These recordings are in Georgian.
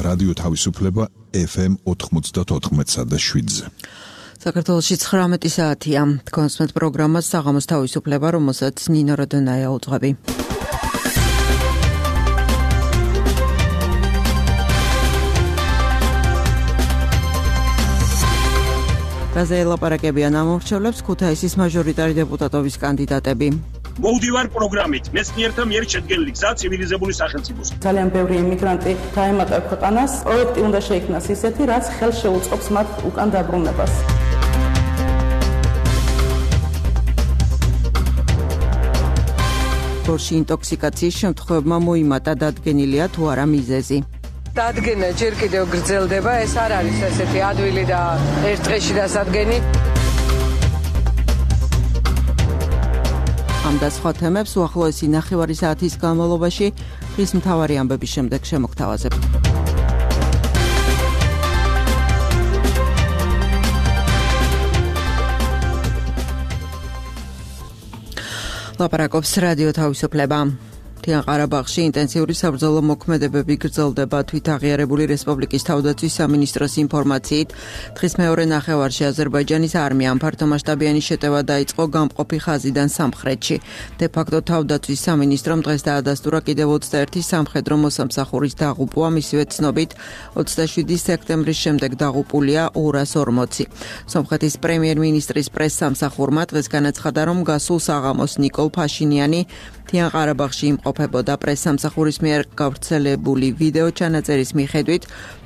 რადიო თავისუფლება FM 94.7-ზე. საქართველოში 19 საათია. კონსმეთ პროგრამას საღამოს თავისუფლება, რომელსაც ნინო როდონაია უძღვები. რაზე ელაპარაკებიან ამორჩევლებს ქუთაისის მაჟორიტარი დეპუტატობის კანდიდატები. მოვდივარ პროგრამით მეცნიერთა მიერ შედგენილი გზა ცივილიზებული სახელმწიფოს. ძალიან ბევრი იმიგრანტი დაემატა ქვეყანას. პროექტი უნდა შეიქმნას ისეთი, რაც ხელს შეუწყობს მათ უკან დაბრუნებას. ბორში ინტოქსიკაციის შემთხვევებმა მოიმატა, დადგენილია თუ არა მიზეზი. დადგენა ჯერ კიდევ გრძელდება, ეს არ არის ესეთი ადვილი და ერთ დღეში დასადგენი. ამ და სხვა თემებს უახლოესი ნახევარი საათის განმავლობაში ხის მთავარი ამბების შემდეგ შემოგთავაზებთ. ლაპარაკობს რადიო თავისუფლება. ყარაბაღში ინტენსიური საბრძოლო მოქმედებები გრძელდება. თვითაღიარებული რესპუბლიკის თავდაცვის სამინისტროს ინფორმაციით, დღის მეორე ნახევარში აზერბაიჯანის არმიამ ფართომასშტაბიანი შეტევა დაიწყო გამყოფი ხაზიდან სამხრეთში. დე-ფაქტო თავდაცვის სამინისტრომ დღეს დაადასტურა კიდევ 21 სამხედრო მოსამსახურის დაღუპვა, მისივე ცნობით 27 სექტემბრის შემდეგ დაღუპულია 240. სომხეთის პრემიერ-მინისტრის პრეს-სამსახურმა დღეს განაცხადა, რომ გასულ საღამოს ნიკოლ ფაშინიანი ყარაბაღში იმყოფებოდა. პრეს-სამსახურის მიერ გავრცელებული ვიდეო ჩანაწერის მიხედვით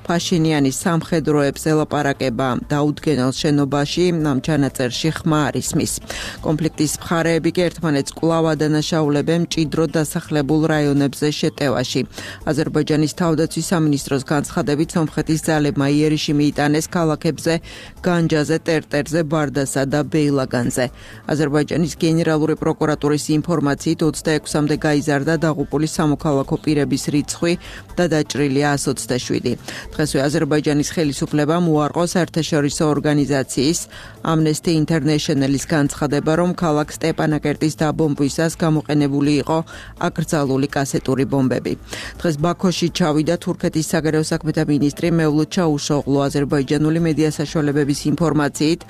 ფაშინიანის სამხედროებს ელაპარაკება დაუდგენელ შენობაში, ამ ჩანაწერში ხმა არ ისმის. კონფლიქტის მხარეები კი ერთმანეთს კვლავ ადანაშაულებენ მჭიდრო დასახლებულ რაიონებზე შეტევაში. აზერბაიჯანის თავდაცვის სამინისტროს განცხადებით, სომხეთის ძალებმა იერიში მიიტანეს ქალაქებზე განჯაზე, ტერტერზე, ბარდასა და ბეილაგანზე. აზერბაიჯანის გენერალური პროკურატურის ინფორმაციით 26-მდე გაიზარდა დაღუპული სამოქალაქო პირების რიცხვი და დაჭრილია 127. დღესვე აზერბაიჯანის ხელისუფლებამ უარყო საერთაშორისო ორგანიზაციის Amnesty International-ის განცხადება, რომ ქალაქ სტეპანაკერტის დაბომბვისას გამოყენებული იყო აკრძალული კასეტური ბომბები. დღეს ბაქოში ჩავიდა თურქეთის საგარეო საქმეთა მინისტრი მევლութ ჩაუშოღლუ. აზერბაიჯანული მედია საშუალებების ინფორმაციით,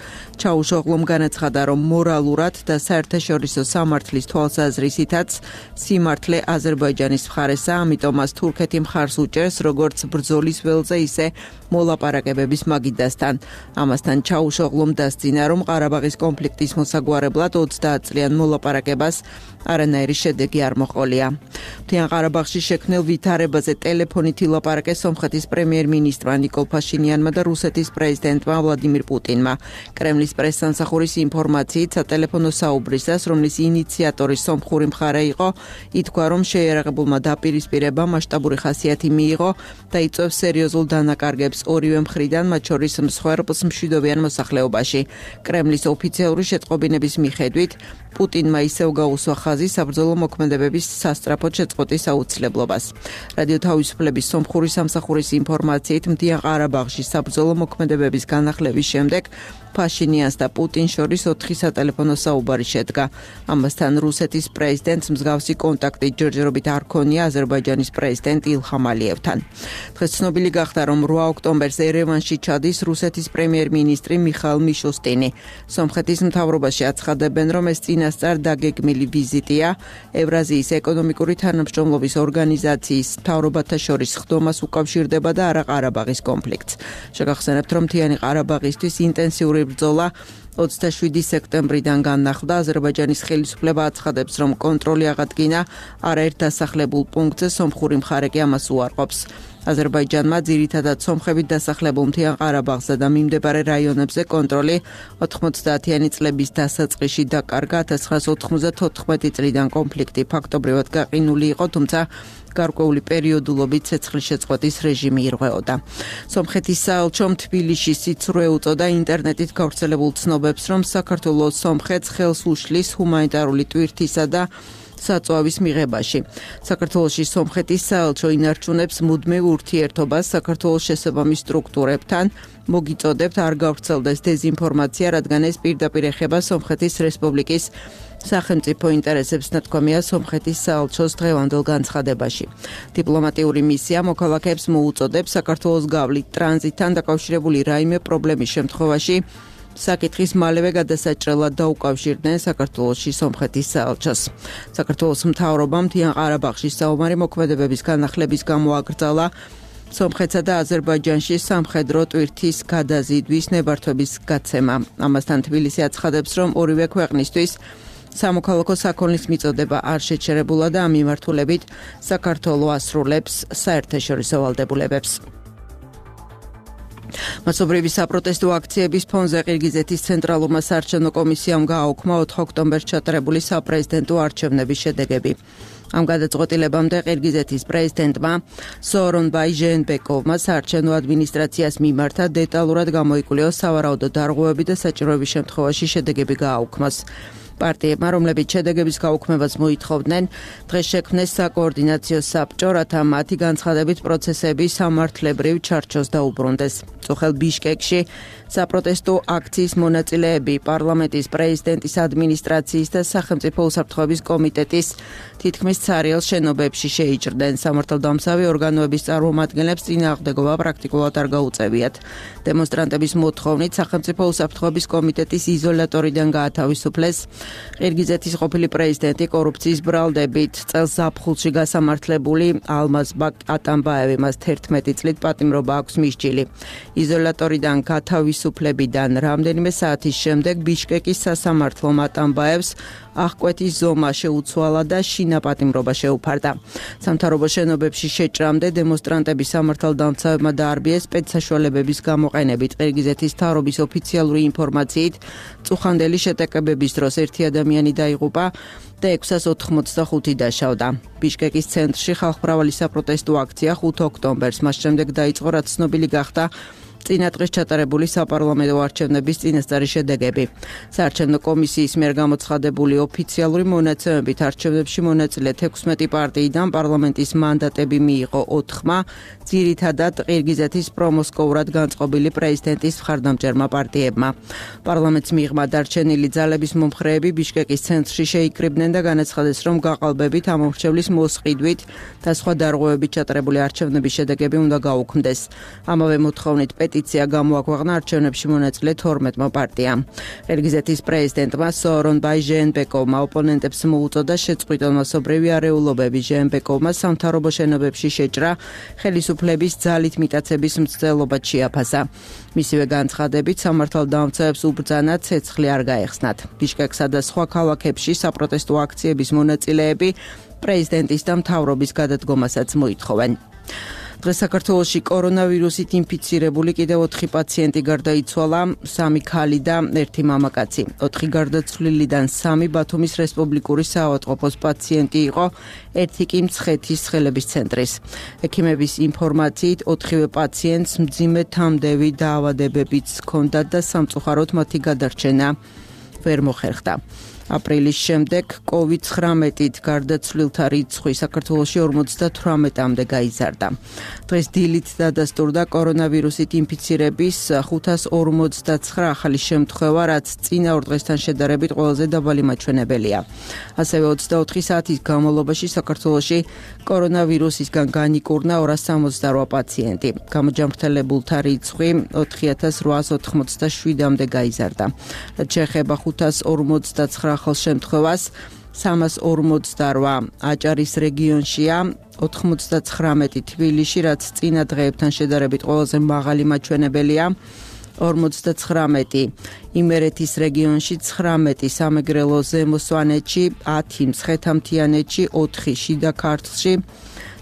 ჩაუშოღლუმ განაცხადა, რომ მორალურად და საერთაშორისო სამართლის თვალსაზრისითაც სიმართლე აზერბაიჯანის მხარესა, ამიტომ მას თურქეთი მხარს უჭერს, როგორც ბრძოლის ველზე, ისე მოლაპარაკებების მაგიდასთან. ამასთან ჩაუშოღლუმ დასძინა, რომ ყარაბაღის კონფლიქტის მოსაგვარებლად 30 წლიან მოლაპარაკებას არანაირი შედეგი არ მოყოლია. ყარაბაღში შექმნილ ვითარებაზე ტელეფონით ილაპარაკეს სომხეთის პრემიერ-მინისტრმა ნიკოლ ფაშინიანმა და რუსეთის პრეზიდენტმა ვლადიმირ პუტინმა. კრემლის პრეს-სამსახურის ინფორმაციით, სატელეფონო საუბრისას, რომლის ინიციატორი სომხური მხარე იყო, ითქვა, რომ შეიარაღებულმა დაპირისპირება მასშტაბური ხასიათი მიიღო და იწვევს სერიოზულ დანაკარგებს ორივე მხრიდან, მათ შორის მსხვერპლს მშვიდობიან მოსახლეობაში. კრემლის ოფიციალური შეტყობინების მიხედვით, პუტინმა ისევ გაუსვა ხაზი საბრძოლო მოქმედებების სასწრაფოდ შეწყვეტის აუცილებლობას. რადიო თავისუფლების სომხური სამსახურის ინფორმაციით, მთიან ყარაბაღში საბრძოლო მოქმედებების განახლების შემდეგ ფაშინიანს და პუტინს შორის 4 სატელეფონო საუბარი შედგა. ამასთან რუსეთის პრეზიდენტს მსგავსი კონტაქტი ჯერჯერობით არ ქონია აზერბაიჯანის პრეზიდენტ ილჰამ ალიევთან. დღეს ცნობილი გახდა, რომ 8 ოქტომბერს ერევანში ჩადის რუსეთის პრემიერ-მინისტრი მიხაილ მიშუსტინი. სომხეთის მთავრობაში აცხადებენ, რომ ეს წინასწარ დაგეგმილი ვიზიტია ევრაზიის ეკონომიკური თანამშრომლობის ორგანიზაციის მთავრობათა შორის ხდომას უკავშირდება და არა ყარაბაღის კონფლიქტს. შეგახსენებთ, რომ მთიანი ყარაბაღისთვის ინტენსიური ბრძოლა 27 სექტემბრიდან განახლდა. აზერბაიჯანის ხელისუფლება აცხადებს, რომ კონტროლი აღადგინა არაერთ დასახლებულ პუნქტზე, სომხური მხარე კი ამას უარყოფს. აზერბაიჯანმა ძირითადად სომხებით დასახლებულ მთიან ყარაბაღსა და მიმდებარე რაიონებზე კონტროლი 90-იანი წლების დასაწყისში დაკარგა. 1994 წლიდან კონფლიქტი ფაქტობრივად გაყინული იყო, თუმცა გარკვეული პერიოდულობით ცეცხლშეწყვეტის რეჟიმი ირღვეოდა. სომხეთის საელჩომ თბილისში სიცრუე უწოდა ინტერნეტით გავრცელებულ ცნობებს, რომ საქართველოს სომხეთს ხელს უშლის ჰუმანიტარული ტვირთისა და საწვავის მიღებაში. საქართველოში სომხეთის საელჩო ინარჩუნებს მუდმივ ურთიერთობას საქართველოს შესაბამის სტრუქტურებთან. მოგიწოდებთ არ გავრცელდეს დეზინფორმაცია, რადგან ეს პირდაპირ ეხება სომხეთის რესპუბლიკის სახელმწიფო ინტერესებს ნათქვამია სომხეთის საელჩოს დღევანდელ განცხადებაში. დიპლომატიური მისია მოქალაქეებს მოუწოდებს საქართველოს გავლით ტრანზიტთან დაკავშირებული რაიმე პრობლემის შემთხვევაში საკითხის მალევე გადასაჭრელად დაუკავშირდნენ საქართველოში სომხეთის საელჩოს. საქართველოს მთავრობამ მთიან ყარაბაღში საომარი მოქმედებების განახლების გამო აკრძალა სომხეთსა და აზერბაიჯანში სამხედრო ტვირთის გადაზიდვის ნებართვების გაცემა. ამასთან თბილისი აცხადებს, რომ ორივე ქვეყნისთვის სამოქალაქო საქონლის მიწოდება არ შეჩერებულა და ამ მიმართულებით საქართველო ასრულებს საერთაშორისო ვალდებულებებს. მასობრივი საპროტესტო აქციების ფონზე ყირგიზეთის ცენტრალურმა საარჩევნო კომისიამ გააუქმა 4 ოქტომბერს ჩატარებული საპრეზიდენტო არჩევნების შედეგები. ამ გადაწყვეტილებამდე ყირგიზეთის პრეზიდენტმა სოორონბაი ჟეენბეკოვმა საარჩევნო ადმინისტრაციას მიმართა დეტალურად გამოიკვლიოს სავარაუდო დარღვევები და საჭიროების შემთხვევაში შედეგები გააუქმოს. პარტიებმა, რომლებიც შედეგების გაუქმებას მოითხოვდნენ, დღეს შექმნეს საკოორდინაციო საბჭო, რათა მათი განცხადებით პროცესები სამართლებრივ ჩარჩოს დაუბრუნდეს. წუხელ ბიშკეკში საპროტესტო აქციის მონაწილეები პარლამენტის პრეზიდენტის ადმინისტრაციის და სახელმწიფო უსაფრთხოების კომიტეტის თითქმის ცარიელ შენობებში შეიჭრდნენ. სამართალდამცავი ორგანოების წარმომადგენლებს წინააღმდეგობა პრაქტიკულად არ გაუწევიათ. დემონსტრანტების მოთხოვნით სახელმწიფო უსაფრთხოების კომიტეტის იზოლატორიდან გაათავისუფლეს ყირგიზეთის ყოფილი პრეზიდენტი კორუფციის ბრალდებით წელს ზაფხულში გასამართლებული ალმაზბაკ ატამბაევი, მას 11 წლით პატიმრობა აქვს მისჯილი. იზოლატორიდან გათავისუფლებიდან რამდენიმე საათის შემდეგ ბიშკეკის სასამართლომ ატამბაევს აღკვეთის ზომა შეუცვალა და შინაპატიმრობა შეუფარდა. სამთავრობო შენობებში შეჭრამდე დემონსტრანტები სამართალდამცავებმა დაარბიეს სპეცსაშუალებების გამოყენებით. ყირგიზეთის მთავრობის ოფიციალური ინფორმაციით წუხანდელი შეტაკებების დროს ერთი ადამიანი დაიღუპა და 685 დაშავდა. ბიშკეკის ცენტრში ხალხმრავალი საპროტესტო აქცია 5 ოქტომბერს, მას შემდეგ დაიწყო, რაც ცნობილი გახდა წინადღეს ჩატარებული საპარლამენტო არჩევნების წინასწარი შედეგები. საარჩევნო კომისიის მიერ გამოცხადებული ოფიციალური მონაცემებით არჩევნებში მონაწილე 16 პარტიიდან პარლამენტის მანდატები მიიღო 4-მა, ძირითადად ყირგიზეთის პრომოსკოურად განწყობილი პრეზიდენტის მხარდამჭერმა პარტიებმა. პარლამენტს მიღმა დარჩენილი ძალების მომხრეები ბიშკეკის ცენტრში შეიკრიბნენ და განაცხადეს, რომ გაყალბებით ამომრჩევლის მოსყიდვით და სხვა დარღვევებით ჩატარებული არჩევნების შედეგები უნდა გაუქმდეს. ამავე მოთხოვნით პეტიცია გამოაქვეყნა არჩევნებში მონაწილე 12-მა პარტიამ. ყირგიზეთის პრეზიდენტმა სოორონბაი ჟეენბეკოვმა ოპონენტებს მოუწოდა შეწყვიტონ მასობრივი არეულობები. ჟეენბეკოვმა სამთავრობო შენობებში შეჭრა, ხელისუფლების ძალით მიტაცების მცდელობად შეაფასა. მისივე განცხადებით სამართალდამცავებს უბრძანა ცეცხლი არ გაეხსნათ. ბიშკეკსა და სხვა ქალაქებში საპროტესტო აქციების მონაწილეები პრეზიდენტის და მთავრობის გადადგომასაც მოითხოვენ. დღეს საქართველოში კორონავირუსით ინფიცირებული კიდევ 4 პაციენტი გარდაიცვალა, 3 ქალი და 1 მამაკაცი. 4 გარდაცვლილიდან 3 ბათუმის რესპუბლიკური საავადმყოფოს პაციენტი იყო, 1 კი მცხეთის ცხელების ცენტრის. ექიმების ინფორმაციით 4-ვე პაციენტს მძიმე თამდევი დაავადებებიც ჰქონდათ და სამწუხაროდ მათი გადარჩენა ვერ მოხერხდა. აპრილის შემდეგ COVID-19-ით გარდაცვლილთა რიცხვი საქართველოში 58-მდე გაიზარდა. დღეს დილით დადასტურდა კორონავირუსით ინფიცირების 559 ახალი შემთხვევა, რაც წინა ორ დღესთან შედარებით ყველაზე დაბალი მაჩვენებელია. ასევე 24 საათის განმავლობაში საქართველოში კორონავირუსისგან განიკურნა 268 პაციენტი. გამოჯანმრთელებულთა რიცხვი 4887-მდე გაიზარდა. რაც შეეხება 559 ახალ შემთხვევას, 348 აჭარის რეგიონშია, 99 თბილისში, რაც წინა დღეებთან შედარებით ყველაზე მაღალი მაჩვენებელია, 59 იმერეთის რეგიონში, 19 სამეგრელო ზემო სვანეთში, 10 მცხეთა-მთიანეთში, 4 შიდა ქართლში,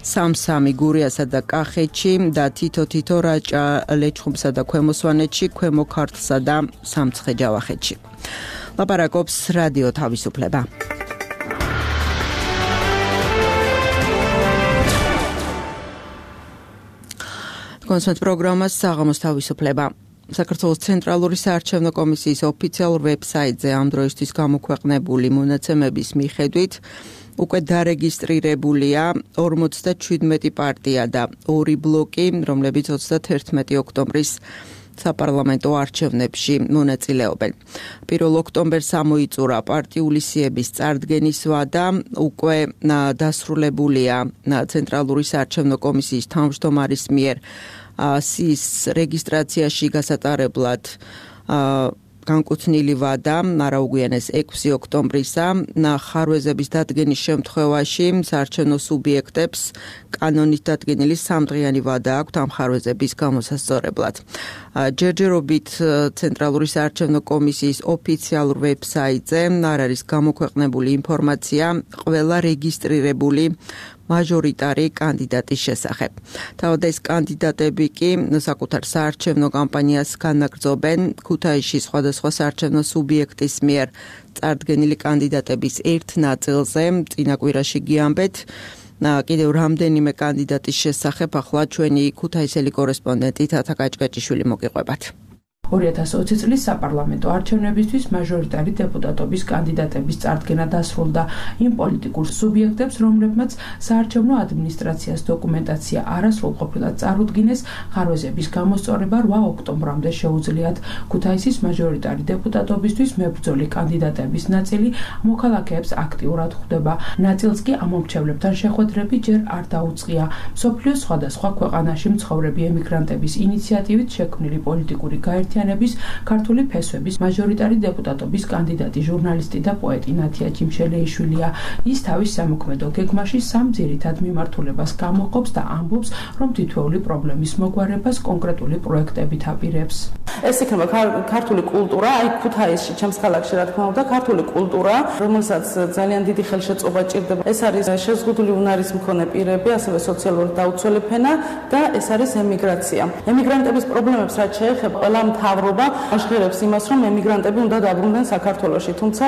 3 გურიასა და კახეთში და თითო რაჭა ლეჩხუმსა და ქვემო სვანეთში, ქვემო ქართლსა და სამცხე-ჯავახეთში. ლაპარაკობს რადიო თავისუფლება. კონსულტ პროგრამას საღამოს თავისუფლება. საქართველოს ცენტრალური საარჩევნო კომისიის ოფიციალურ ვებსაიტზე ამ დროისთვის გამოქვეყნებული მონაცემების მიხედვით უკვე დარეგისტრირებულია 47 პარტია და 2 ბლოკი, რომლებიც 31 ოქტომბრის საპარლამენტო არჩევნებში მონაწილეობენ. 1 ოქტომბერს ამოიწურა პარტიული სიების წარდგენის ვადა, უკვე დასრულებულია ცენტრალური საარჩევნო კომისიის თავმჯდომარის მიერ სიის რეგისტრაციაში გასატარებლად განკუთვნილი ვადა, არაუგვიანეს 6 ოქტომბრისა, ხარვეზების დადგენის შემთხვევაში საარჩევნო სუბიექტებს კანონით დადგენილი 3დღიანი ვადა აქვთ ამ ხარვეზების გამოსასწორებლად. ჯერჯერობით ცენტრალური საარჩევნო კომისიის ოფიციალურ ვებსაიტზე არ არის გამოქვეყნებული ინფორმაცია ყველა რეგისტრირებული მაჟორიტარი კანდიდატის შესახებ. თავად ეს კანდიდატები კი საკუთარ საარჩევნო კამპანიას განაგრძობენ ქუთაისში სხვადასხვა საარჩევნო სუბიექტის მიერ წარდგენილი კანდიდატების ერთ ნაწილზე. წინა კვირაში გიამბეთ კიდევ რამდენიმე კანდიდატის შესახებ, ახლა ჩვენი ქუთაისელი კორესპონდენტი თათა კაჭკაჭიშვილი მოგიყვებათ. 2020 წლის საპარლამენტო არჩევნებისთვის მაჟორიტარი დეპუტატობის კანდიდატების წარდგენა დასრულდა. იმ პოლიტიკურ სუბიექტებს, რომლებმაც საარჩევნო ადმინისტრაციას დოკუმენტაცია არასრულყოფილად წარუდგინეს, ხარვეზების გამოსწორება 8 ოქტომბრამდე შეუძლიათ. ქუთაისის მაჟორიტარი დეპუტატობისთვის მებრძოლი კანდიდატების ნაწილი მოქალაქეებს აქტიურად ხვდება. ნაწილს კი ამომრჩევლებთან შეხვედრები ჯერ არ დაუწყია. მსოფლიოს სხვადასხვა ქვეყანაში მცხოვრები ემიგრანტების ინიციატივით შექმნილი პოლიტიკური გაერთიანების ქართული ფესვების მაჟორიტარი დეპუტატობის კანდიდატი ჟურნალისტი და პოეტი ნათია ჯიმშელეიშვილია. ის თავის სამოქმედო გეგმაში სამ ძირითად მიმართულებას გამოყოფს და ამბობს, რომ თითოეული პრობლემის მოგვარებას კონკრეტული პროექტებით აპირებს. ეს იქნება ქართული კულტურა, აი ქუთაისში, ჩემს ქალაქში, რა თქმა უნდა, ქართული კულტურა, რომელსაც ძალიან დიდი ხელშეწყობა ჭირდება. ეს არის შეზღუდული უნარის მქონე პირები, ასევე სოციალური დაუცველი ფენა და ეს არის ემიგრაცია. ემიგრანტების პრობლემებს რაც შეეხება, ყველა მთავრობა აღღერებს იმას, რომ ემიგრანტები უნდა დაბრუნდნენ საქართველოში, თუმცა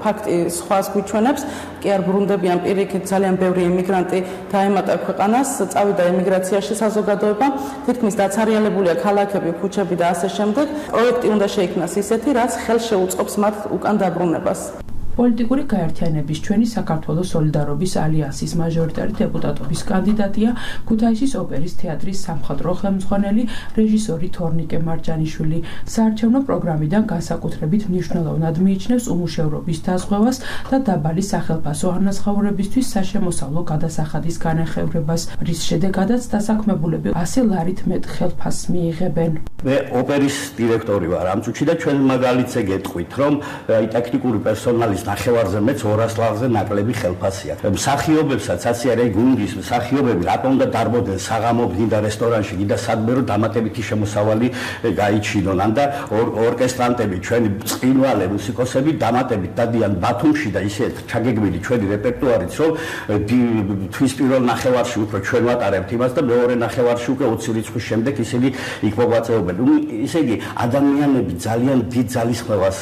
ფაქტი სხვას გვიჩვენებს, კი არ ბრუნდებიან პირიქით, ძალიან ბევრი ემიგრანტი დაემატა ქვეყანას, წავიდა ემიგრაციაში საზოგადოება, თითქმის დაცარიალებულია ქალაქები, ქუჩები და ასე შემდეგ. პროექტი უნდა შეიქმნას ისეთი, რაც ხელს შეუწყობს მათ უკან დაბრუნებას. პოლიტიკური გაერთიანების ჩვენი საქართველოს სოლიდარობის ალიანსის მაჟორიტარი დეპუტატობის კანდიდატია ქუთაისის ოპერის თეატრის სამხატვრო ხელმძღვანელი რეჟისორი თორნიკე მარჯანიშვილი. საარჩევნო პროგრამიდან განსაკუთრებით მნიშვნელოვნად მიიჩნევს უმუშევრობის დაზღვევას და დაბალი სახელფასო ანაზღაურებისთვის საშემოსავლო გადასახადის განახევრებას, რის შედეგადაც დასაქმებულები 100 ლარით მეტ ხელფასს მიიღებენ. მე ოპერის დირექტორი ვარ ამ წუთში და ჩვენ მაგალითზე გეტყვით, რომ ტექნიკური პერსონალის ნახევარზე მეც 200 ლარზე ნაკლები ხელფასია. მსახიობებსაც ასე არის, გუნდის მსახიობები რატომ უნდა დარბოდნენ საღამოთი და რესტორანში და სადმე დამატებითი შემოსავალი გაიჩინონ და ორკესტრანტები, ჩვენი წყინვალე მუსიკოსები დამატებით დადიან ბათუმში და ისე ჩაგეგმილი ჩვენი რეპერტუარიც, რომ თვის პირველ ნახევარში უფრო ჩვენ ვატარებთ იმას და მეორე ნახევარში უკვე 20 რიცხვის შემდეგ ისინი იქ მოღვაწეობენ. ისე იგი ადამიანები ძალიან დიდ ძალისხმევას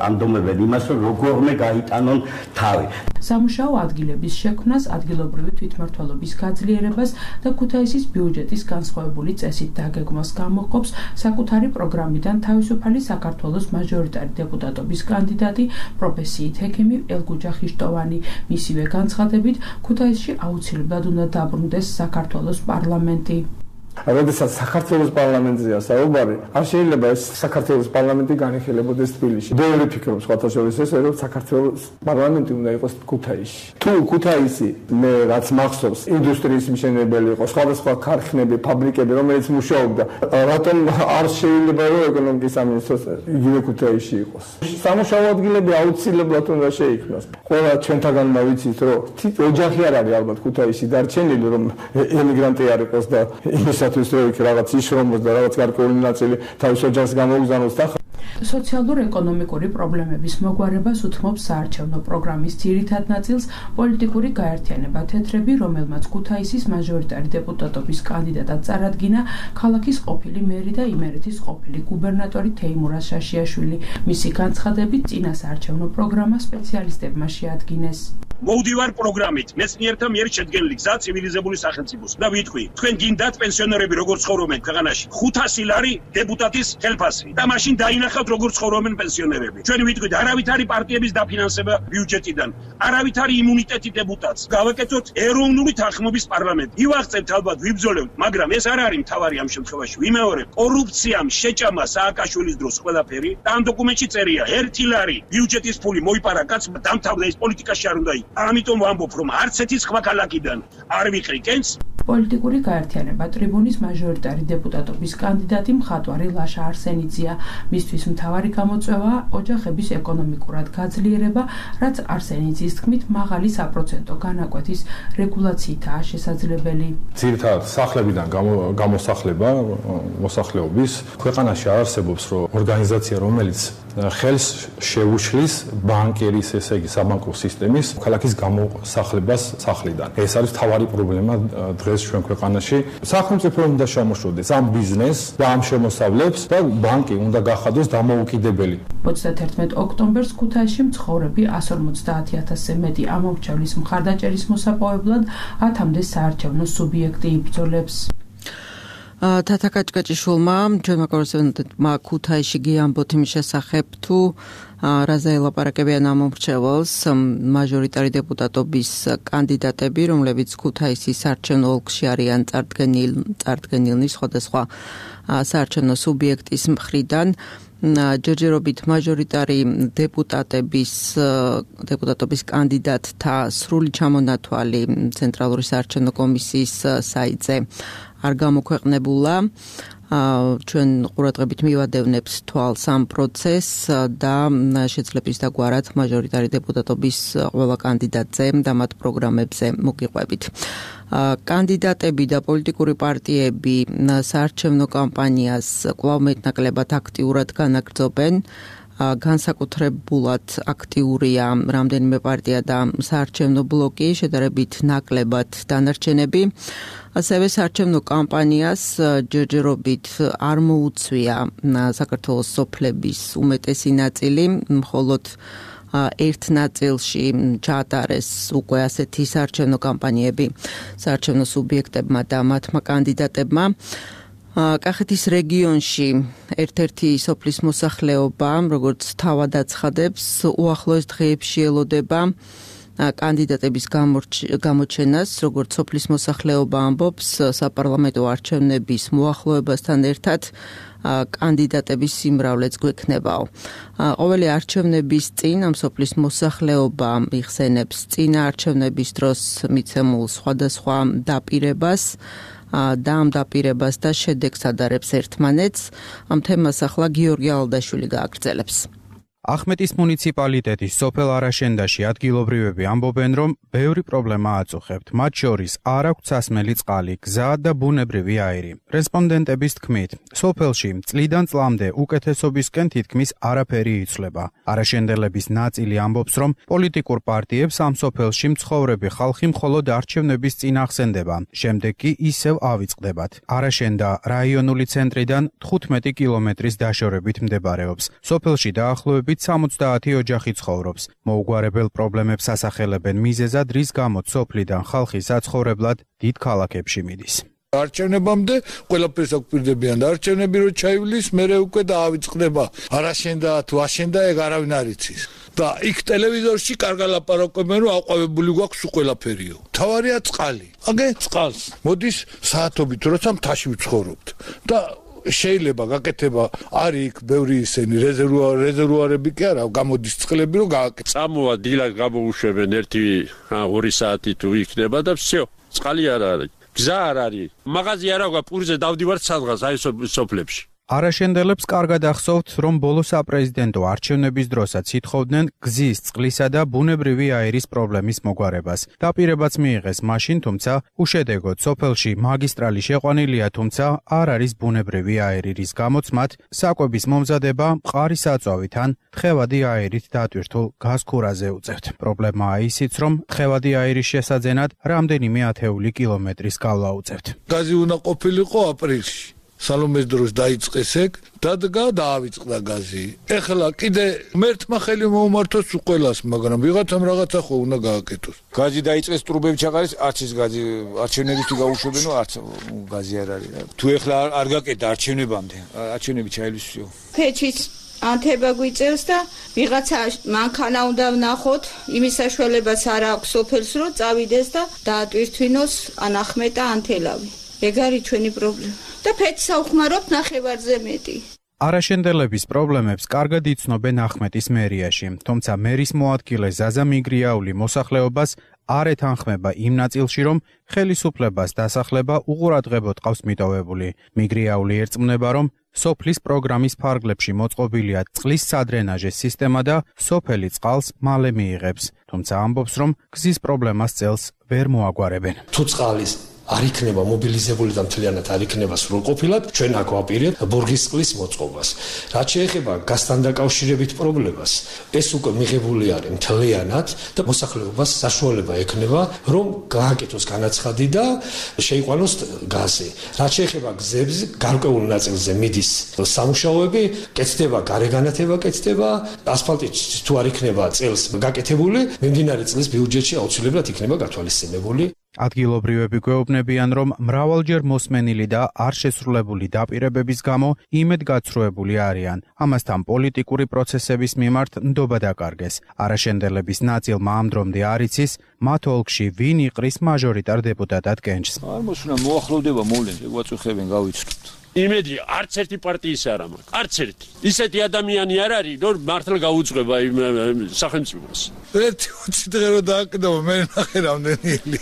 ანდომებენ იმას, რომ როგორმე გაიტანონ თავი. სამუშაო ადგილების შექმნას, ადგილობრივი თვითმმართველობის გაძლიერებას და ქუთაისის ბიუჯეტის განსხვავებული წესით დაგეგმვას გამოყოფს საკუთარი პროგრამიდან თავისუფალი საქართველოს მაჟორიტარი დეპუტატობის კანდიდატი პროფესიით ჰექიმი ელგუჯა ხიშტოვანი. მისივე განცხადებით, ქუთაისში აუცილებლად უნდა დაბრუნდეს საქართველოს პარლამენტი. როდესაც საქართველოს პარლამენტზეა საუბარი, არ შეიძლება ეს საქართველოს პარლამენტი განიხილებოდეს თბილისში. ბევრი ფიქრობს სხვათა შორის ესე, რომ საქართველოს პარლამენტი უნდა იყოს ქუთაისში. თუ ქუთაისი მე რაც მახსოვს, ინდუსტრიის მშენებელი იყო, სხვადასხვა ქარხნები, ფაბრიკები, რომელიც მუშაობდა, რატომ არ შეიძლება რომ ეკონომიკის სამინისტროს იგივე ქუთაისში იყოს? სამუშაო ადგილები აუცილებლად უნდა შეიქმნას. ყველა ჩვენთაგან ვიცით, რომ ოჯახი არ არის ალბათ ქუთაისში დარჩენილი, რომ ემიგრანტი არ იყოს და იმისათვის რომ იქ რაღაც იშრომოს და რაღაც გარკვეული ნაწილი თავის ოჯახს გამოგზავნოს და სოციალურ-ეკონომიკური პრობლემების მოგვარებას უთმობს საარჩევნო პროგრამის ძირითად ნაწილს პოლიტიკური გაერთიანება თეთრები, რომელმაც ქუთაისის მაჟორიტარი დეპუტატობის კანდიდატად წარადგინა ქალაქის ყოფილი მერი და იმერეთის ყოფილი გუბერნატორი თეიმურაზ შაშიაშვილი. მისი განცხადებით, წინა საარჩევნო პროგრამა სპეციალისტებმა შეადგინეს. მოვდივარ პროგრამით მეცნიერთა მიერ შედგენილი გზა ცივილიზებული სახელმწიფოს და ვიტყვი თქვენ გინდათ პენსიონერები როგორ ცხოვრობენ ქვეყანაში 500 ლარი დეპუტატის ხელფასი და მაშინ დაინახავთ როგორ ცხოვრობენ პენსიონერები ჩვენ ვიტყვით არავითარი პარტიების დაფინანსება ბიუჯეტიდან არავითარი იმუნიტეტი დეპუტატს გავაკეთოთ ეროვნული თანხმობის პარლამენტი ივაღწევთ ალბათ ვიბრძოლებთ მაგრამ ეს არ არის მთავარი ამ შემთხვევაში ვიმეორებ კორუფციამ შეჭამა სააკაშვილის დროს ყველაფერი და ამ დოკუმენტში წერია 1 ლარი ბიუჯეტის ფული მოიპარა კაცმა დამთავრდა ის პოლიტიკაში არ უნდა იყოს ამიტომ ვამბობ რომ არც ერთი სხვა ქალაქიდან არ ვიყრი კენს პოლიტიკური გაერთიანება ტრიბუნის მაჟორიტარი დეპუტატობის კანდიდატი მხატვარი ლაშა არსენიძეა მისთვის მთავარი გამოწვევა ოჯახების ეკონომიკურად გაძლიერება რაც არსენიძის თქმით მაღალი საპროცენტო განაკვეთის რეგულაციითაა შესაძლებელი ძირითადად სახლებიდან გამოსახლება მოსახლეობის ქვეყანაში არსებობს რომ ორგანიზაცია რომელიც ხელს შეუშლის ბანკერის ესე იგი საბანკო სისტემის ქალაქის გამოსახლებას სახლიდან ეს არის მთავარი პრობლემა დღეს ჩვენ ქვეყანაში სახელმწიფო უნდა შემოშორდეს ამ ბიზნესს და ამ შემოსავლებს და ბანკი უნდა გახადოს დამოუკიდებელი 31 ოქტომბერს ქუთაისში მცხოვრები 150,000-ზე მეტი ამომრჩევლის მხარდაჭერის მოსაპოვებლად 1000-მდე საარჩევნო სუბიექტი იბრძოლებს თათა კაჭკაჭიშვილმა ჩვენმა კორესპონდენტმა ქუთაისში გიამბოთ იმის შესახებ თუ რაზე ელაპარაკებიან ამომრჩეველს მაჟორიტარი დეპუტატობის კანდიდატები რომლებიც ქუთაისის საარჩევნო ოლქში არიან წარდგენილნი სხვადასხვა საარჩევნო სუბიექტის მხრიდან ჯერჯერობით მაჟორიტარი დეპუტატობის კანდიდატთა სრული ჩამონათვალი ცენტრალური საარჩევნო კომისიის საიტზე არ გამოქვეყნებულა ჩვენ ყურადღებით მივადევნებთ თვალს ამ პროცესს და შეძლებს დაგვარად მაჟორიტარი დეპუტატობის ყველა კანდიდატზე და მათ პროგრამებზე მოგიყვებით. კანდიდატები და პოლიტიკური პარტიები საარჩევნო კამპანიას კვლავ მეტნაკლებად აქტიურად განაგრძობენ. განსაკუთრებულად აქტიურია რამდენიმე პარტია და საარჩევნო ბლოკი, შედარებით ნაკლებად დანარჩენები. ასევე საარჩევნო კამპანიას ჯერჯერობით არ მოუწვია საქართველოს სოფლების უმეტესი ნაწილი, მხოლოდ ერთ ნაწილში ჩაატარეს უკვე ასეთი საარჩევნო კამპანიები საარჩევნო სუბიექტებმა და მათმა კანდიდატებმა. კახეთის რეგიონში ერთ-ერთი სოფლის მოსახლეობა, როგორც თავად აცხადებს, უახლოეს დღეებში ელოდება კანდიდატების გამოჩენას, როგორც სოფლის მოსახლეობა ამბობს, საპარლამენტო არჩევნების მოახლოებასთან ერთად კანდიდატების სიმრავლეც გვექნებაო. ყოველი არჩევნების წინ ამ სოფლის მოსახლეობა იხსენებს წინა არჩევნების დროს მიცემულ სხვადასხვა დაპირებას და ამ დაპირებას და შედეგს ადარებს ერთმანეთს. ამ თემას ახლა გიორგი ალდაშვილი გააგრძელებს. ახმეტის მუნიციპალიტეტის სოფელ არაშენდაში ადგილობრივები ამბობენ, რომ ბევრი პრობლემა აწუხებთ, მათ შორის არ აქვთ სასმელი წყალი, გზა და ბუნებრივი აირი. რესპონდენტების თქმით, სოფელში წლიდან წლამდე უკეთესობისკენ თითქმის არაფერი იცვლება. არაშენდელების ნაწილი ამბობს, რომ პოლიტიკურ პარტიებს ამ სოფელში მცხოვრები ხალხი მხოლოდ არჩევნების წინ ახსენდება, შემდეგ კი ისევ ავიწყდებათ. არაშენდა რაიონული ცენტრიდან 15 კილომეტრის დაშორებით მდებარეობს. სოფელში დაახლოებით 70 ოჯახი ცხოვრობს. მოუგვარებელ პრობლემებს ასახელებენ მიზეზად, რის გამოც სოფლიდან ხალხი საცხოვრებლად დიდ ქალაქებში მიდის. არჩევნებამდე ყველაფერს აკვირდებიან და არჩევნები რო ჩაივლის, მერე უკვე დაავიწყდება. არაშენდა თუ აშენდა ეგ არავინ არ იცის. და იქ ტელევიზორში კარგად ლაპარაკობენ, რომ აყვავებული გვაქვს ყველაფერიო. თავარია წყალი. აგე წყალს მოდის საათობით, როცა მთაში ვცხოვრობთ. და შეიძლება გაკეთება არის იქ ბევრი ისენი რეზერვუარები კი არა გამოდის წყლები რომ გააკეთო. წამოვა დილად გამოუშვებენ 1-2 საათი თუ იქნება და всё წყალი არ არის. გზა არ არის. მაღაზი არ აქვს პურზე დავდივართ სადღაც აი სოფლებში. არაშენდელებს კარგად ახსოვთ, რომ ბოლო საპრეზიდენტო არჩევნების დროსაც ითხოვდნენ გზის, წყლისა და ბუნებრივი აირის პრობლემის მოგვარებას. დაპირებაც მიიღეს მაშინ, თუმცა უშედეგოდ სოფელში მაგისტრალი შეყვანილია, თუმცა არ არის ბუნებრივი აირი, რის გამოც მათ საკვების მომზადება მყარი საწვავით ან თხევადი აირით დატვირთულ გაზქურაზე უწევთ. პრობლემაა ისიც, რომ თხევადი აირის შესაძენად რამდენიმე ათეული კილომეტრის გავლა უწევთ. გაზი უნდა ყოფილიყო აპრილში. სალომეს დროს დაიწყეს ეგ, დადგა დაავიწყდა გაზი. ეხლა კიდე მერთმა ხელი მოუმართოს ყველას, მაგრამ ვიღაცამ რაღაცა ხო უნდა გააკეთოს. გაზი დაიწყეს, ტრუბები ჩაყარეს, არც ის გაზი არჩევნებისთვის გაუშვებენო, არც გაზი არ არის. თუ ეხლა არ გაკეთდა არჩევნებამდე, არჩევნები ჩაილისვიო. ფეჩის ანთება გვიწევს და ვიღაცა მანქანა უნდა ვნახოთ, იმის საშუალებაც არ აქვს სოფელს, რომ წავიდეს და დაატვირთვინოს ანახმეტა ანთელავი. ეგ არის ჩვენი პრობლემა. და ფეჩს საუხმარობთ ნახევარზე მეტი. არაშენდელების პრობლემებს კარგად იცნობენ ახმეტის მერიაში, თუმცა მერის მოადგილე ზაზა მიგრიაული მოსახლეობას არ ეთანხმება იმ ნაწილში, რომ ხელისუფლებას დასახლება უყურადღებოდ ყავს მიტოვებული. მიგრიაული ერწმუნება, რომ სოფლის პროგრამის ფარგლებში მოწყობილია წყლის სადრენაჟის სისტემა და სოფელი წყალს მალე მიიღებს, თუმცა ამბობს, რომ გზის პრობლემას წელს ვერ მოაგვარებენ. თუ წყალის არ იქნება მობილიზებული და მთლიანად არ იქნება სრულყოფილად, ჩვენ აქ ვაპირებთ ბურგის წყლის მოწყობას. რაც შეეხება გაზთან დაკავშირებით პრობლემას, ეს უკვე მიღებული არის მთლიანად და მოსახლეობას საშუალება ექნება, რომ გააკეთოს განაცხადი და შეიყვანოს გაზი. რაც შეეხება გზებს, გარკვეულ ნაწილზე მიდის სამუშაოები, კეთდება გარეგანათება, კეთდება ასფალტი თუ არ იქნება წელს გაკეთებული, მიმდინარე წლის ბიუჯეტში აუცილებლად იქნება გათვალისწინებული. ადგილობრივები გვეუბნებიან, რომ მრავალჯერ მოსმენილი და არ შესრულებული დაპირებების გამო იმედგაცრუებული არიან. ამასთან პოლიტიკური პროცესების მიმართ ნდობა დაკარგეს. არაშენდელების ნაწილმა ამ დრომდე არ იცის, მათ ოლქში ვინ იყრის მაჟორიტარ დეპუტატად კენჭს. არ მოსუნა მოახლოვდება მოვლენზე, გვაწუხებენ გავიცნობთ. იმედი არც ერთი პარტიის არ აქვს. არც ერთი. ისეთი ადამიანი არ არის, რომ მართლა გაუძღვება იმ სახელმწიფოს. ერთი 20 დღე რო დააკეთო, მე ნახე რამდენილი.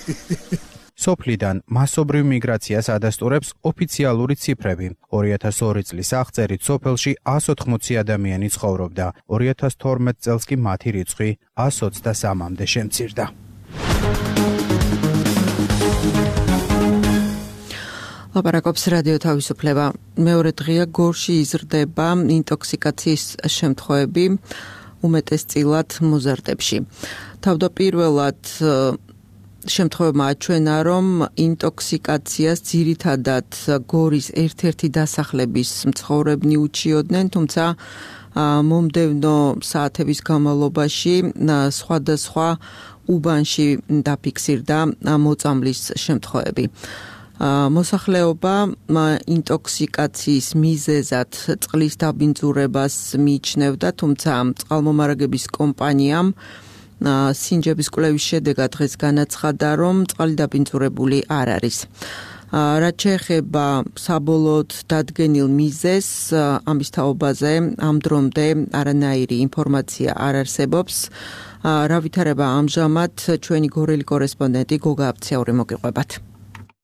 სოფლიდან მასობრივ მიგრაციას ადასტურებს ოფიციალური ციფრები. 2002 წლის აღწერით სოფელში 180 ადამიანი ცხოვრობდა. 2012 წელს კი მათი რიცხვი 123-მდე შემცირდა. ლაპარაკობს რადიო თავისუფლება. მეორე დღეა გორში იზრდება ინტოქსიკაციის შემთხვევები უმეტესწილად მოზარდებში. თავდაპირველად შემთხვევებმა აჩვენა, რომ ინტოქსიკაციას ძირითადად გორის ერთ-ერთი დასახლების მცხოვრებნი უჩიოდნენ, თუმცა მომდევნო საათების განმავლობაში სხვადასხვა უბანში დაფიქსირდა მოწამვლის შემთხვევები. მოსახლეობა ინტოქსიკაციის მიზეზად წყლის დაბინძურებას მიიჩნევდა, თუმცა წყალმომარაგების კომპანიამ სინჯების კვლევის შედეგად დღეს განაცხადა, რომ წყალი დაბინძურებული არ არის. რაც შეეხება საბოლოოდ დადგენილ მიზეზს, ამის თაობაზე ამ დრომდე არანაირი ინფორმაცია არ არსებობს. რა ვითარება ამჟამად ჩვენი გორელი კორესპონდენტი გოგა აბციური მოგიყვებათ.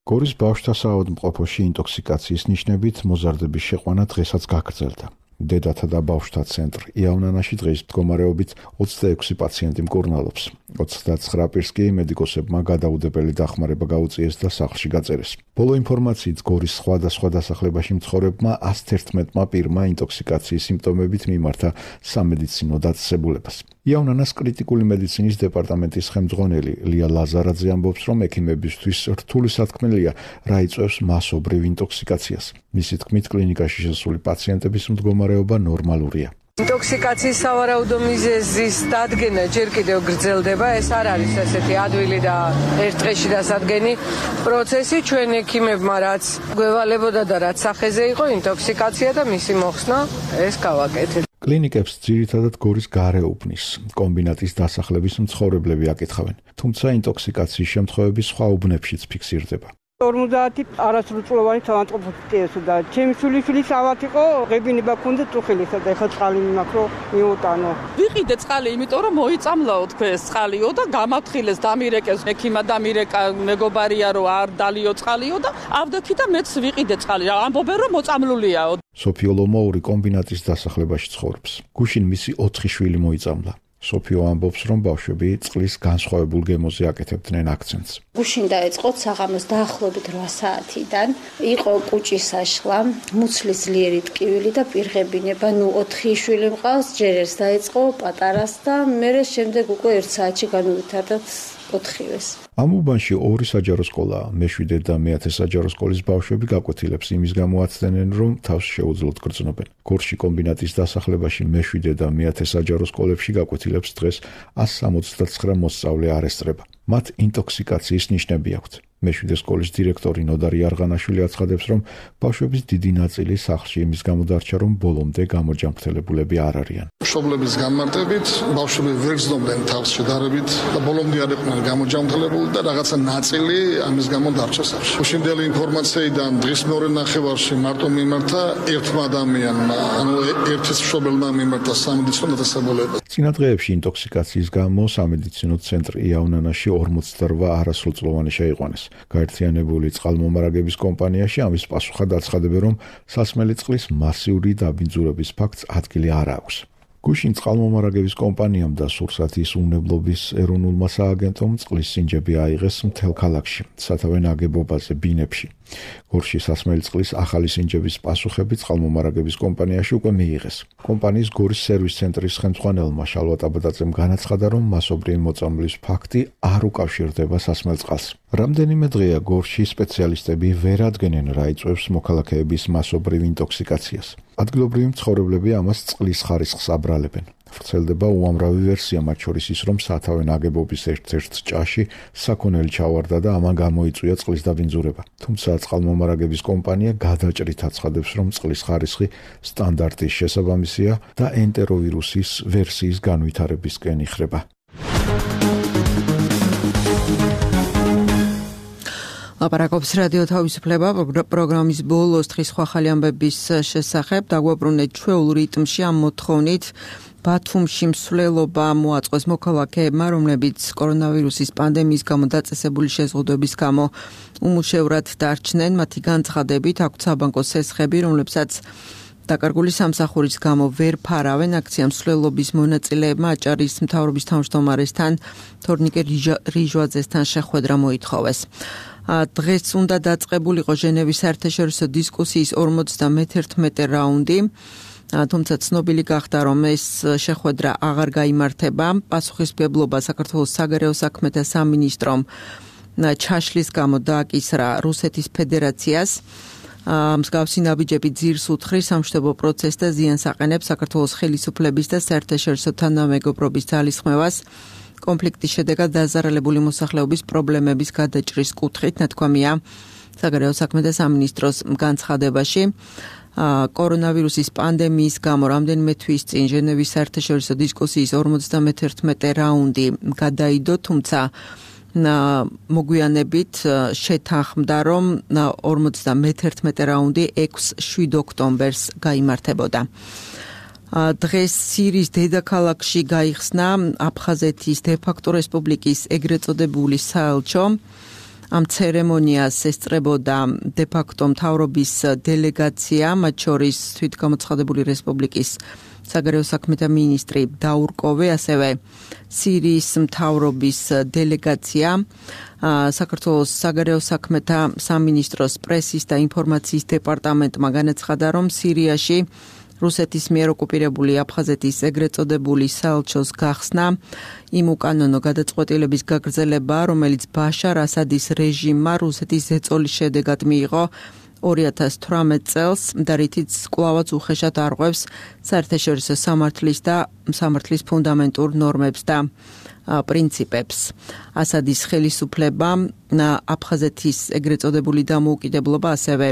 გორის ბავშვთა საავადმყოფოში ინტოქსიკაციის ნიშნებით მოზარდების შეყვანა დღესაც გაგრძელდა. დედათა და ბავშვთა ცენტრ იავნანაში დღის მდგომარეობით 26 პაციენტი მკურნალობს. 29 პირს კი მედიკოსებმა გადაუდებელი დახმარება გაუწიეს და სახლში გაწერეს. ბოლო ინფორმაციით გორის სხვადასხვა დასახლებაში მცხოვრებმა 111 პირმა ინტოქსიკაციის სიმპტომებით მიმართა სამედიცინო დაწესებულებას. იავნანას კრიტიკული მედიცინის დეპარტამენტის ხელმძღვანელი ლია ლაზარაძე ამბობს, რომ ექიმებისთვის რთული სათქმელია, რა იწვევს მასობრივ ინტოქსიკაციას. მისი თქმით, კლინიკაში შესული პაციენტების მდგომარეობა ნორმალურია. ინტოქსიკაციის სავარაუდო მიზეზის დადგენა ჯერ კიდევ გრძელდება. ეს არ არის ესეთი ადვილი და ერთ დღეში დასადგენი პროცესი. ჩვენ ექიმებმა რაც გვევალებოდა და რაც სახეზე იყო ინტოქსიკაცია და მისი მოხსნა, ეს გავაკეთეთ. კლინიკებს ძირითადად გორის გარეუბნის კომბინატის დასახლების მცხოვრებლები აკითხავენ, თუმცა ინტოქსიკაციის შემთხვევები სხვა უბნებშიც ფიქსირდება. 50 არასრულწლოვანი საავადმყოფო და ჩემი შვილიშვილის ავად იყო, ღებინება ქონდა წუხილისა და ეხლა წყალი მაქვს რომ მიუტანო. ვიყიდე წყალი, იმიტომ რომ მოიწამლაო თქვენ ეს წყალიო და გამაფრთხილეს დამირეკეს ექიმა დამირეკა მეგობარია რომ არ დალიო წყალიო და ავდექი და მეც ვიყიდე წყალი. ამბობენ რომ მოწამლულიაო. სოფიო ლომოური კომბინატის დასახლებაში ცხოვრობს. გუშინ მისი 4 შვილი მოიწამლა. სოფიო ამბობს, რომ ბავშვები წყლის განსხვავებულ გემოზე აკეთებდნენ აქცენტს. გუშინ დაეწყოთ საღამოს დაახლოებით 8 საათიდან. იყო კუჭის საშლა, მუცლის ძლიერი ტკივილი და პირღებინება. 4 შვილი მყავს, ჯერ ერთს დაეწყო პატარას და მერე შემდეგ უკვე 1 საათში განუვითარდა ოთხივეს. ამ უბანში ორი საჯარო სკოლაა. მე-7 და მე-10 საჯარო სკოლის ბავშვები გაკვეთილებს იმის გამო აცდენენ, რომ თავს შეუძლოთ გრძნობენ. გორში კომბინატის დასახლებაში მე-7 და მე-10 საჯარო სკოლებში გაკვეთილებს დღეს 169 მოსწავლე არ ესწრება. მათ ინტოქსიკაციის ნიშნები აქვთ. მე-7 სკოლის დირექტორი ნოდარი არღანაშვილი აცხადებს, რომ ბავშვების დიდი ნაწილი სახლში იმის გამო დარჩა, რომ ბოლომდე გამოჯანმრთელებულები არ არიან. მშობლების განმარტებით ბავშვები ვერ გრძნობდნენ თავს შედარებით და ბოლომდე არ იყვნენ გამოჯანმრთელებული და რაღაცა ნაწილი ამის გამო დარჩა სახლში. უშინდელი ინფორმაციიდან დღის მეორე ნახევარში მარტო მიმართა ერთმა ადამიანმა, ანუ ერთის მშობელმა მიმართა სამედიცინო დაწესებულება. წინა დღეებში ინტოქსიკაციის გამო სამედიცინო ცენტრ იავნანაში 48 არასრულწლოვანი შეიყვანეს. გაერთიანებული წყალმომარაგების კომპანიაში ამის პასუხად აცხადებენ, რომ სასმელი წყლის მასიური დაბინძურების ფაქტს ადგილი არ აქვს. გუშინ წყალმომარაგების კომპანიამ და სურსათის უნებლობის ეროვნულმა სააგენტომ წყლის სინჯები აიღეს მთელ ქალაქში, სათავე ნაგებობაზე, ბინებში. გორში სასმელი წყლის ახალი სინჯების პასუხები წყალმომარაგების კომპანიაში უკვე მიიღეს. კომპანიის გორის სერვის ცენტრის ხელმძღვანელმა შალვა ტაბადაძემ განაცხადა, რომ მასობრივი მოწამვლის ფაქტი არ უკავშირდება სასმელ წყალს. რამდენიმე დღეა გორში სპეციალისტები ვერ ადგენენ, რა იწვევს მოქალაქეების მასობრივ ინტოქსიკაციას. ადგილობრივი მცხოვრებლები ამას წყლის ხარისხს აბრალებენ. ვრცელდება უამრავი ვერსია, მათ შორის ის, რომ სათავე ნაგებობის ერთ-ერთ ჭაში საქონელი ჩავარდა და ამან გამოიწვია წყლის დაბინძურება. თუმცა წყალმომარაგების კომპანია გადაჭრით აცხადებს, რომ წყლის ხარისხი სტანდარტის შესაბამისია და ენტეროვირუსის ვერსიის განვითარებისკენ იხრება. ლაპარაკობს რადიო თავისუფლება პროგრამის ბოლოს დღის სხვა ხალი ამბების შესახებ. დაგვაბრუნეთ ჩვეულ რიტმში ამ მოთხოვნით. ბათუმში მსვლელობა მოაწყვეს მოქალაქეებმა, რომლებიც კორონავირუსის პანდემიის გამო დაწესებული შეზღუდვების გამო უმუშევრად დარჩნენ. მათი განცხადებით აქვთ საბანკო სესხები, რომლებსაც დაკარგული სამსახურის გამო ვერ ფარავენ. აქცია მსვლელობის მონაწილეებმა აჭარის მთავრობის თავმჯდომარესთან თორნიკე რიჟვაძესთან შეხვედრა მოითხოვეს. დღეს უნდა დაწყებულიყო ჟენევის საერთაშორისო დისკუსიის 51 რაუნდი. თუმცა ცნობილი გახდა, რომ ეს შეხვედრა აღარ გაიმართება. პასუხისმგებლობა საქართველოს საგარეო საქმეთა სამინისტრომ ჩაშლის გამო დააკისრა რუსეთის ფედერაციას. მსგავსი ნაბიჯები ძირს უთხრის სამშვიდობო პროცესს და ზიანს აყენებს საქართველოს ხელისუფლების და საერთაშორისო თანამეგობრობის ძალისხმევას. კონფლიქტის შედეგად დაზარალებული მოსახლეობის პრობლემების გადაჭრის კუთხით, ნათქვამია საგარეო საქმეთა სამინისტროს განცხადებაში. კორონავირუსის პანდემიის გამო რამდენიმე თვის წინ ჟენევის საერთაშორისო დისკუსიის 51 რაუნდი გადაიდო, თუმცა მოგვიანებით შეთანხმდა, რომ 51 რაუნდი 6-7 ოქტომბერს გაიმართებოდა. დღეს სირიის დედაქალაქში გაიხსნა აფხაზეთის დე-ფაქტო რესპუბლიკის ეგრეთ წოდებული საელჩო. ამ ცერემონიას ესწრებოდა დე-ფაქტო მთავრობის დელეგაცია, მათ შორის თვითგამოცხადებული რესპუბლიკის საგარეო საქმეთა მინისტრი დაურკოვე, ასევე სირიის მთავრობის დელეგაცია. საქართველოს საგარეო საქმეთა სამინისტროს პრესის და ინფორმაციის დეპარტამენტმა განაცხადა, რომ სირიაში რუსეთის მიერ ოკუპირებული აფხაზეთის ეგრეთ წოდებული საელჩოს გახსნა იმ უკანონო გადაწყვეტილების გაგრძელება, რომელიც ბაშარ ასადის რეჟიმმა რუსეთის ზეწოლის შედეგად მიიღო 2018 წელს და რითიც კვლავაც უხეშად არღვევს საერთაშორისო სამართლის და სამართლის ფუნდამენტურ ნორმებს და პრინციპებს. ასადის ხელისუფლება აფხაზეთის ეგრეთ წოდებული დამოუკიდებლობა, ასევე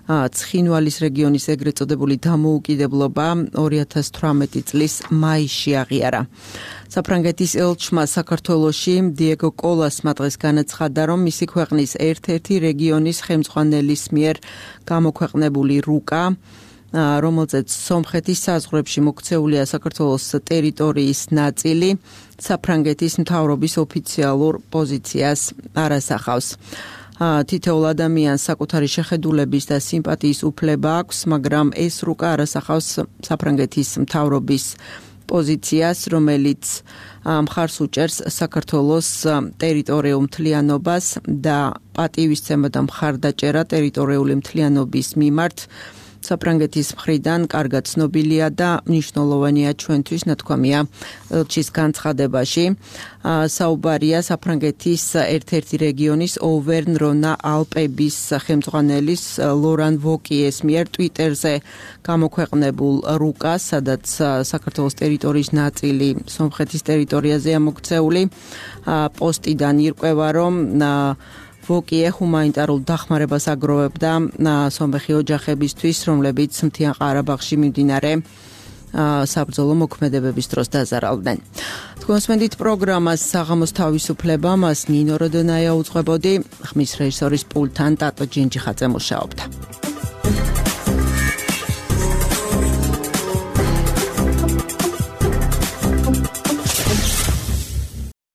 ცხინვალის რეგიონის ეგრეთ წოდებული დამოუკიდებლობა 2018 წლის მაისში აღიარა. საფრანგეთის ელჩმა საქართველოში დიეგო კოლასმა დღეს განაცხადა, რომ მისი ქვეყნის ერთ-ერთი რეგიონის ხელმძღვანელის მიერ გამოქვეყნებული რუკა, რომელზეც სომხეთის საზღვრებში მოქცეულია საქართველოს ტერიტორიის ნაწილი, საფრანგეთის მთავრობის ოფიციალურ პოზიციას არ ასახავს. თითოეულ ადამიანს საკუთარი შეხედულების და სიმპათიის უფლება აქვს, მაგრამ ეს რუკა არ ასახავს საფრანგეთის მთავრობის პოზიციას, რომელიც მხარს უჭერს საქართველოს ტერიტორიულ მთლიანობას და პატივისცემა და მხარდაჭერა ტერიტორიული მთლიანობის მიმართ საფრანგეთის მხრიდან კარგად ცნობილია და მნიშვნელოვანია ჩვენთვის, ნათქვამია ელჩის განცხადებაში. საუბარია საფრანგეთის ერთ-ერთი რეგიონის ოვერნ-რონა ალპების ხელმძღვანელის ლორან ვოკიეს მიერ ტვიტერზე გამოქვეყნებულ რუკას, სადაც საქართველოს ტერიტორიის ნაწილი სომხეთის ტერიტორიაზეა მოქცეული. პოსტიდან ირკვევა, რომ ვოკიე ჰუმანიტარულ დახმარებას აგროვებდა სომეხი ოჯახებისთვის, რომლებიც მთიან ყარაბაღში მიმდინარე საბრძოლო მოქმედებების დროს დაზარალდნენ. თქვენს მენდით პროგრამას საღამოს თავისუფლება, მას ნინო როდონაია უძღვებოდი, ხმის რეჟისორის პულტთან ტატო ჯინჯიხაძე მუშაობდა.